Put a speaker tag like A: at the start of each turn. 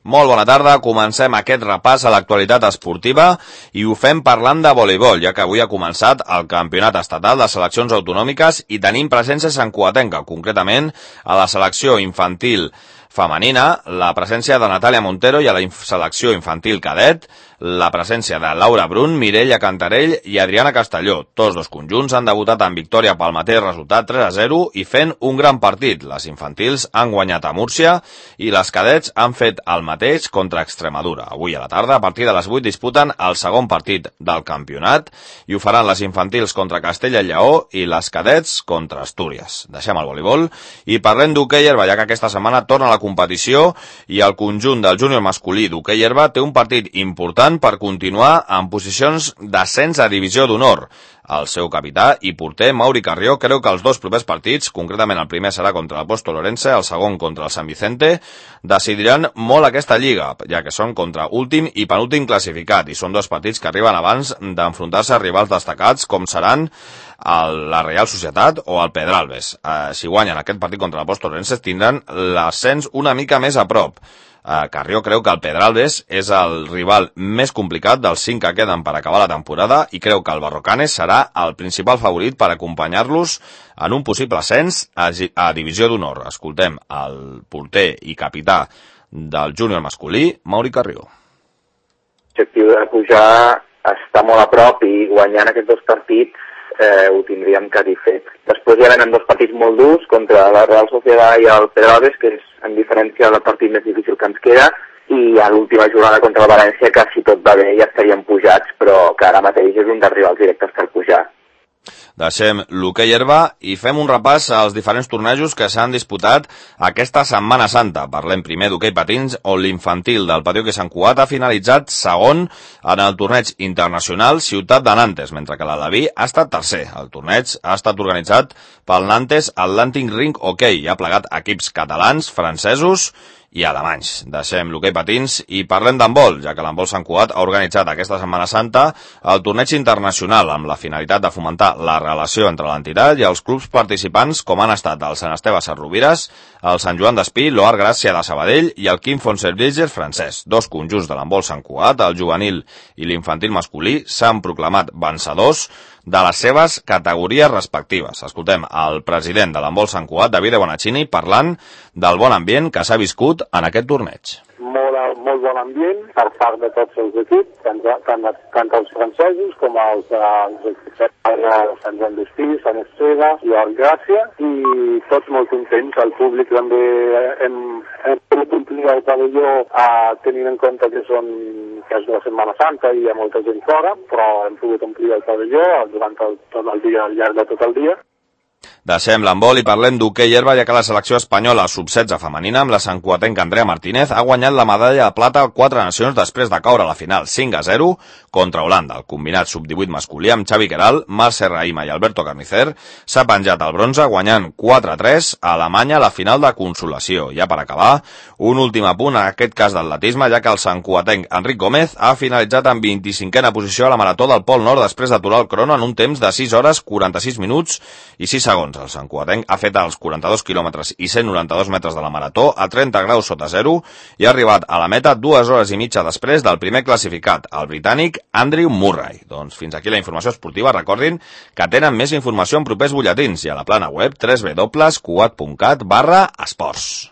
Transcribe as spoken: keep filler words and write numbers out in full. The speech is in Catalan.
A: Molt bona tarda, comencem aquest repàs a l'actualitat esportiva i ho fem parlant de voleibol, ja que avui ha començat el campionat estatal de seleccions autonòmiques i tenim presència santcugatenca, concretament a la selecció infantil femenina, la presència de Natàlia Montero i a la selecció infantil cadet, la presència de Laura Brun, Mireia Cantarell i Adriana Castelló. Tots dos conjunts han debutat en victòria pel mateix resultat tres a zero i fent un gran partit. Les infantils han guanyat a Múrcia i les cadets han fet el mateix contra Extremadura. Avui a la tarda, a partir de les vuit, disputen el segon partit del campionat i ho faran les infantils contra Castella i Lleó i les cadets contra Astúries. Deixem el voleibol i parlem d'hoquei herba, ja que aquesta setmana torna a la competició i el conjunt del júnior masculí d'hoquei herba té un partit important per continuar en posicions d'ascens a divisió d'honor. El seu capità i porter, Mauri Carrió, creu que els dos propers partits, concretament el primer serà contra l'Apóstol Orense, el segon contra el Sant Vicente, decidiran molt aquesta lliga, ja que són contra últim i penúltim classificat, i són dos partits que arriben abans d'enfrontar-se a rivals destacats, com seran el, la Real Societat o el Pedralbes. Eh, si guanyen aquest partit contra l'Apóstol Orense, tindran l'ascens una mica més a prop. Carrió creu que el Pedralbes és el rival més complicat dels cinc que queden per acabar la temporada i creu que el Barrocanes serà el principal favorit per acompanyar-los en un possible ascens a, a divisió d'honor. Escoltem el porter i capità del júnior masculí, Mauri Carrió.
B: L'objectiu de pujar està molt a prop i guanyant aquests dos partits eh, ho tindríem quasi fet. Després ja venen dos partits molt durs contra la Real Societat i el Pedralbes, que és en diferència del partit més difícil que ens queda, i a l'última jornada contra el València, que si tot va bé ja estaríem pujats, però que ara mateix és un dels rivals directes per pujar.
A: Deixem l'hoquei herba i fem un repàs als diferents tornejos que s'han disputat aquesta Setmana Santa. Parlem primer d'hoquei patins, on l'infantil del Patí Hoquei Sant Cugat ha finalitzat segon en el torneig internacional Ciutat de Nantes, mentre que l'Aleví ha estat tercer. El torneig ha estat organitzat pel Nantes Atlantic Ring Hockey i ha plegat equips catalans, francesos i alemanys. Deixem l'hoquei patins i parlem d'handbol, ja que l'handbol Sant Cugat ha organitzat aquesta Setmana Santa el torneig internacional amb la finalitat de fomentar la relació entre l'entitat i els clubs participants, com han estat el Sant Esteve Sarrovires, el Sant Joan d'Espí, l'Oar Gràcia de Sabadell i el Quim Fonserviger francès. Dos conjunts de l'handbol Sant Cugat, el juvenil i l'infantil masculí, s'han proclamat vencedors de les seves categories respectives. Escoltem el president de l'handbol Sant Cugat, David Bonacini, parlant del bon ambient que s'ha viscut en aquest torneig.
C: Molt, molt bon ambient per part de tots els equips, tant, tant, tant els francesos com els equips de Sant Joan d'Espí, Sant Esteve i Or Gràcia, i tots molt contents. El públic també hem, hem pogut omplir el pavelló eh, tenint en compte que, són, que és la Setmana Santa i hi ha molta gent fora, però hem pogut omplir el pavelló durant el, tot el dia, al llarg de tot el dia.
A: Deixem l'handbol i parlem d'hoquei herba, ja que la selecció espanyola sub setze femenina amb la santcugatenca Andrea Martínez ha guanyat la medalla de plata a quatre nacions després de caure a la final cinc a zero contra Holanda. El combinat sub divuit masculí amb Xavi Queral, Marc Serraima i Alberto Carnicer s'ha penjat el bronze guanyant quatre a tres a Alemanya a la final de consolació. Ja per acabar, un últim apunt en aquest cas d'atletisme, ja que el santcugatenc Enric Gómez ha finalitzat en vint-i-cinquena posició a la marató del Pol Nord després d'aturar el crono en un temps de sis hores quaranta-sis minuts i sis segons. El santcugatenc ha fet els quaranta-dos quilòmetres i cent noranta-dos metres de la marató a trenta graus sota zero i ha arribat a la meta dues hores i mitja després del primer classificat, el britànic Andrew Murray. Doncs fins aquí la informació esportiva. Recordin que tenen més informació en propers butlletins i a la plana web w w w punt cugat punt cat barra esports.